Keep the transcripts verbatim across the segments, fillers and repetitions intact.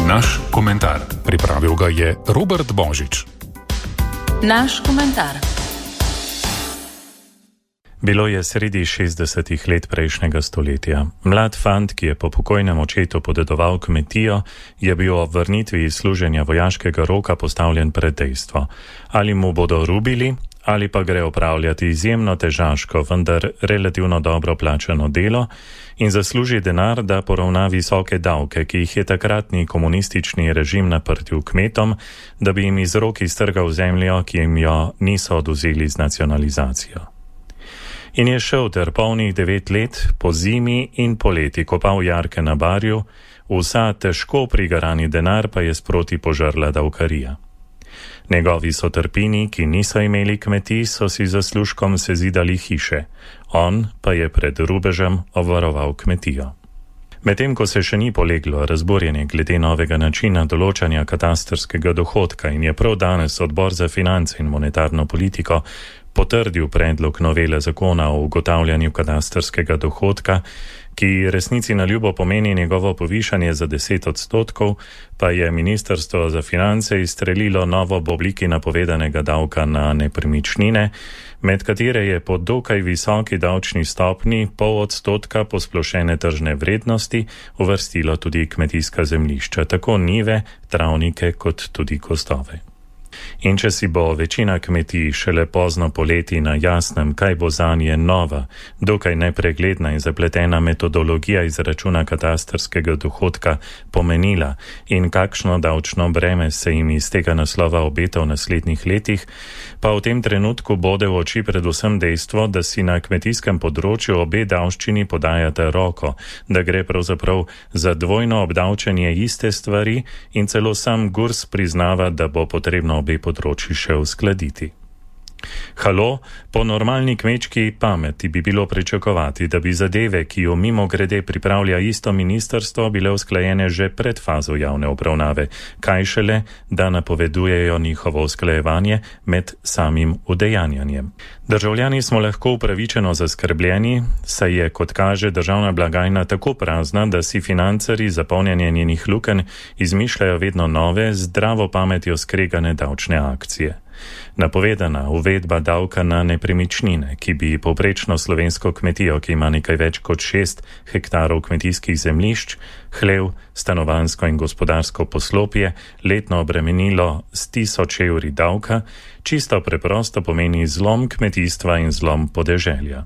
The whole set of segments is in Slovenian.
Naš komentar. Pripravil ga je Robert Božič. Naš komentar. Bilo je sredi šestdesetih let prejšnjega stoletja. Mlad fant, ki je po pokojnem očetu podedoval kmetijo, je bil ob vrnitvi iz služenja vojaškega roka postavljen pred dejstvo. Ali mu bodo rubili, ali pa gre opravljati izjemno težaško, vendar relativno dobro plačano delo in zasluži denar, da poravna visoke davke, ki jih je takratni komunistični režim naprtil kmetom, da bi jim iz rok iztrgal zemljo, ki jim jo niso odvzeli z nacionalizacijo. In je šel ter polnih devet let po zimi in poleti kopal jarke na Barju, vsa težko prigarani denar pa je sproti požrla davkarija. Njegovi sotrpini, ki niso imeli kmetij, so si zaslužkom sezidali hiše, on pa je pred rubežem obvaroval kmetijo. Medtem ko se še ni poleglo razborjenje glede novega načina določanja katastrskega dohodka in je prav danes Odbor za finance in monetarno politiko potrdil predlog novele zakona o ugotavljanju katastrskega dohodka, ki resnici na ljubo pomeni njegovo povišanje za deset odstotkov, pa je Ministrstvo za finance izstrelilo novo v obliki napovedanega davka na nepremičnine, med katere je po dokaj visoki davčni stopni pol odstotka posplošene tržne vrednosti uvrstilo tudi kmetijska zemljišča, tako njive, travnike kot tudi gozdove. In če si bo večina kmetij šele pozno poleti na jasnem, kaj bo zanje nova, dokaj nepregledna in zapletena metodologija izračuna katastrskega dohodka pomenila in kakšno davčno breme se jim iz tega naslova obeta v naslednjih letih, pa v tem trenutku bode v oči predvsem dejstvo, da si na kmetijskem področju obe davščini podajata roko, da gre pravzaprav za dvojno obdavčenje iste stvari in celo sam Gurs priznava, da bo potrebno obe področji še uskladiti. Halo, po normalni kmečki pameti bi bilo pričakovati, da bi zadeve, ki jo mimo grede pripravlja isto ministrstvo, bile usklajene že pred fazo javne obravnave, kaj šele, da napovedujejo njihovo usklajevanje med samim udejanjanjem. Državljani smo lahko upravičeno zaskrbljeni, saj je, kot kaže, državna blagajna tako prazna, da si financerji za polnjenje njenih lukenj izmišljajo vedno nove, zdravo pametjo skregane davčne akcije. Napovedana uvedba davka na nepremičnine, ki bi povprečno slovensko kmetijo, ki ima nekaj več kot šest hektarov kmetijskih zemljišč, hlev, stanovanjsko in gospodarsko poslopje, letno obremenilo s tisoč evri davka, čisto preprosto pomeni zlom kmetijstva in zlom podeželja.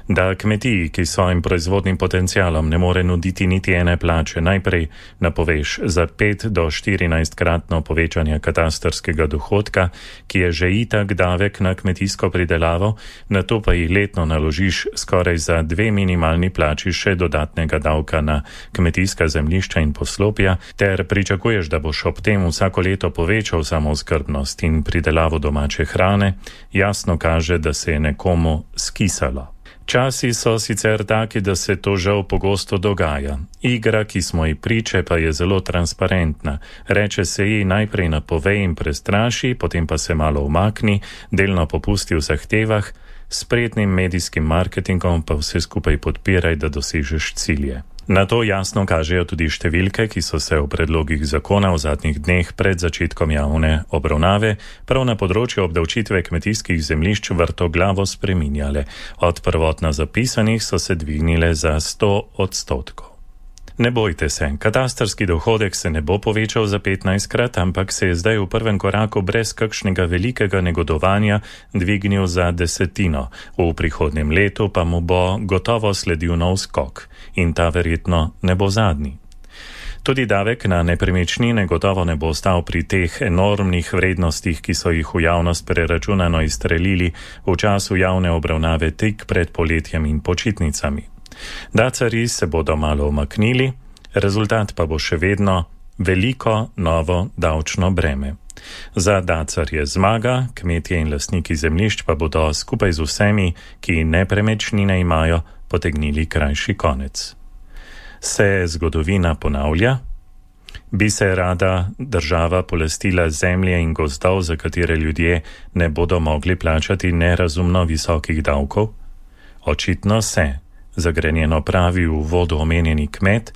Da kmetiji, ki svojim proizvodnim potencialom ne more nuditi niti ene plače, najprej napoveš za pet do štirinajst kratno povečanje katastrskega dohodka, ki je že itak davek na kmetijsko pridelavo, nato pa jih letno naložiš skoraj za dve minimalni plači še dodatnega davka na kmetijska zemljišča in poslopja, ter pričakuješ, da boš ob tem vsako leto povečal samooskrbnost in pridelavo domače hrane, jasno kaže, da se je nekomu skisalo. Časi so sicer taki, da se to žal pogosto dogaja. Igra, ki smo ji priče, pa je zelo transparentna. Reče se ji najprej napovej in prestraši, potem pa se malo umakni, delno popusti v zahtevah, s spretnim medijskim marketingom pa vse skupaj podpiraj, da dosežeš cilje. Na to jasno kažejo tudi številke, ki so se v predlogih zakona v zadnjih dneh pred začetkom javne obravnave prav na področju obdavčitve kmetijskih zemljišč vrtoglavo spreminjale. Od prvotno zapisanih so se dvignile za sto odstotkov. Ne bojte se, katastrski dohodek se ne bo povečal za petnajstkrat, ampak se je zdaj v prvem koraku brez kakšnega velikega negodovanja dvignil za desetino. V prihodnjem letu pa mu bo gotovo sledil nov skok in ta verjetno ne bo zadnji. Tudi davek na nepremičnine gotovo ne bo ostal pri teh enormnih vrednostih, ki so jih v javnost preračunano izstrelili v času javne obravnave tik pred poletjem in počitnicami. Dacarji se bodo malo umaknili, rezultat pa bo še vedno veliko novo davčno breme. Za dacarje zmaga, kmetje in lastniki zemljišč pa bodo skupaj z vsemi, ki nepremičnine imajo, potegnili krajši konec. Se zgodovina ponavlja? Bi se rada država polastila zemlje in gozdov, za katere ljudje ne bodo mogli plačati nerazumno visokih davkov? Očitno se. Zagrenjeno pravi v uvodu omenjeni kmet,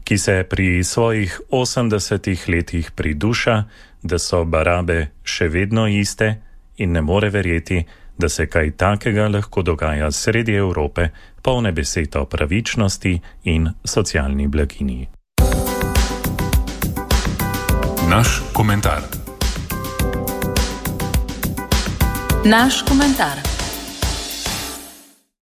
ki se pri svojih osemdesetih letih priduša, da so barabe še vedno iste in ne more verjeti, da se kaj takega lahko dogaja sredi Evrope, polne besed o pravičnosti in socialni blaginji. Naš komentar. Naš komentar.